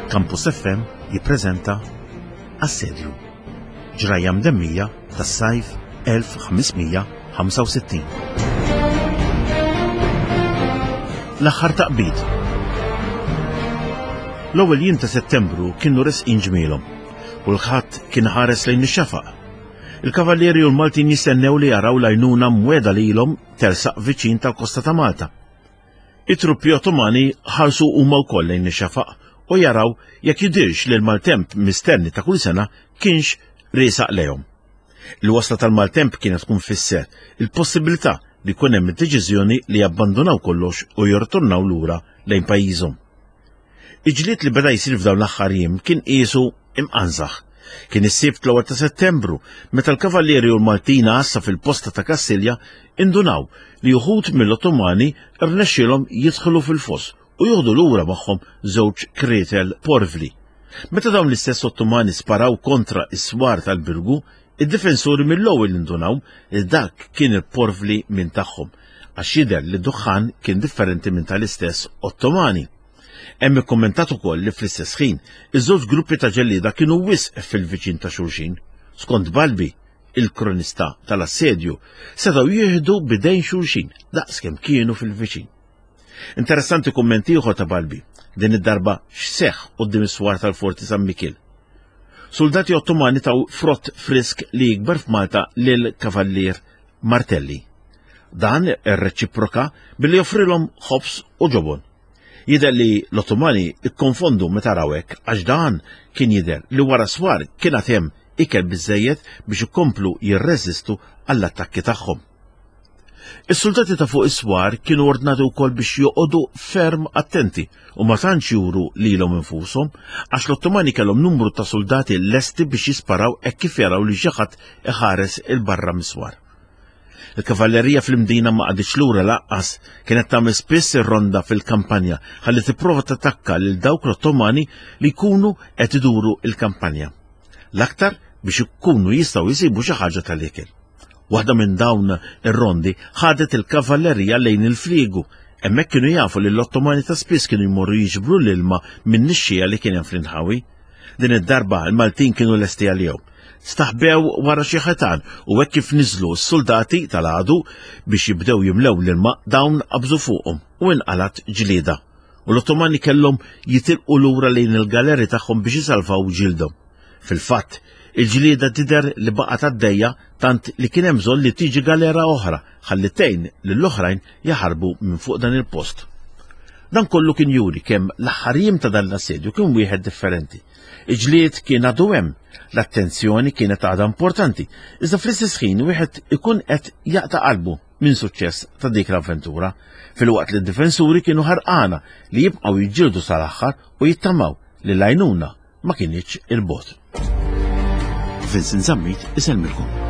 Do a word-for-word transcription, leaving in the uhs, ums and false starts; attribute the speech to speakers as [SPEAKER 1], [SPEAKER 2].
[SPEAKER 1] Campus F M jippreżenta Assedju, ġrajja mdemmija tas-sajf elf ħames mija ħamsa u sittin. L-aħħar taqbid. L-ewwel jiem ta' Settembru kienu resqin ġmielhom u l-ħadd kien ħares lejn ix-xafaq. Il-kavallieri u l-Maltin jistennew li jaraw l-għajnuna mweda lilhom tersaq viċin tal-kosta ta' Malta. It-truppi Ottomani ħarsu huma wkoll lejn ix-xafaq u jaraw jekk jidirx li l-maltemp mistenni ta' kull sena kienx riesaq lejhom. Il-wasla tal-maltemp kienet tkun fisser il-possibilità li jkun hemm id-deċiżjoni li jabbandunaw kollox u jirtornaw lura lejn pajjiżhom. Il-ġlied li beda jsir f'dawn l-aħħar jiem kien qisu imqanżaħ. Kien is-Sibt l-ewwel ta' Settembru meta l-Kavallieri u l-Maltin għassa fil-posta ta' Kastilja indunaw li uħud mill-Ottomani rnexxielhom jidħlu fil-foss u joħdu lura magħhom żewġ krietel porvli. Meta dawn l-istess Ottomani sparaw kontra is-swar tal-Birgu, id-difensuri mill-ewwel indunaw li dak kien il-porvli minn tagħhom, għax jidher li d-duħħan kien differenti minn tal-istess Ottomani. Hemm ikkummentat ukoll li fl-istess ħin iż-żewġ gruppi ta' ġellieda kienu wisq fil-viċin ta' xulxin. Skont Balbi, il-kronista tal-assedju, setgħu jieħdu bidejn xulxin daqskemm kienu fil-viċin. Interessanti kumment ieħor ta' Balbi, din id-darba x'seħħ quddiem is-swar tal-Forti San Mikiel. Soldati Ottomani taw frott frisk li jikber f'Malta lil Kavallier Martelli. Dan irreċiproka billi joffrilhom ħobż u ġobon. Jidher li l-Ottomani ikkonfondu meta raw hekk, għax dan kien jidher li wara swar kien għad hemm ikel biżżejjed biex ikomplu jirreżistu għall-attakki tagħhom. Is-soldati ta' fuq is-swar kienu ordnati wkoll biex joqogħdu ferm attenti u ma tantx juru lilhom infushom, għax l-Ottomani kellhom numru ta' soldati lesti biex jisparaw hekk kif jaraw li xi ħadd iħares il-barra mis-swar. Il-kavallerija fl-Imdina ma qagħditx lura lanqas, kienet tagħmel spiss ir-ronda fil-kampanja ħalli tipprova tattakka lil dawk l-Ottomani li jkunu qed iduru l-kampanja. L-aktar biex ikunu jistgħu jsibu xi ħaġa tal-ikel. Waħda minn dawn ir-rondi ħadet il-kavallerija lejn il-fliegu. Hemmhekk kienu jafu li l-Ottomani ta' spiss kienu jmorru jiġbru l-ilma minn nixxija li kien hemm fl-inħawi. Din id-darba l-Maltin kienu lesti għalihom. Staħbew wara xi ħitan u hekk kif niżlu s-soldati tal-għadu biex jibdew jimlew l-ilma, dawn qabżu fuqhom u inqalat ġlieda. U l-Ottomani kellhom jitilqu lura lejn il-galeri tagħhom biex jisalvaw ġildhom. Fil-fatt, il-ġlieda tidher li baqgħet għaddejja tant li kien hemm bżonn li tiġi galera oħra ħalli tgħin lill-oħrajn jaħarbu minn fuq dan il-post. Dan kollu kien juri kemm l-aħħar jiem ta' dan l-assedju kien wieħed differenti. Il-ġlied kien għadu hemm, l-attenzjoni kienet għadha importanti, iżda fl-istess ħin wieħed ikun qed jaqta' qalbu minn suċċess ta' dik l-avventura, filwaqt li d-difensuri kienu ħarqana li jibqgħu jiġġieldu sal-aħħar u jittamaw li l-għajnuna ma kinitx il-bogħod. Vincent Zammit isellmilkom.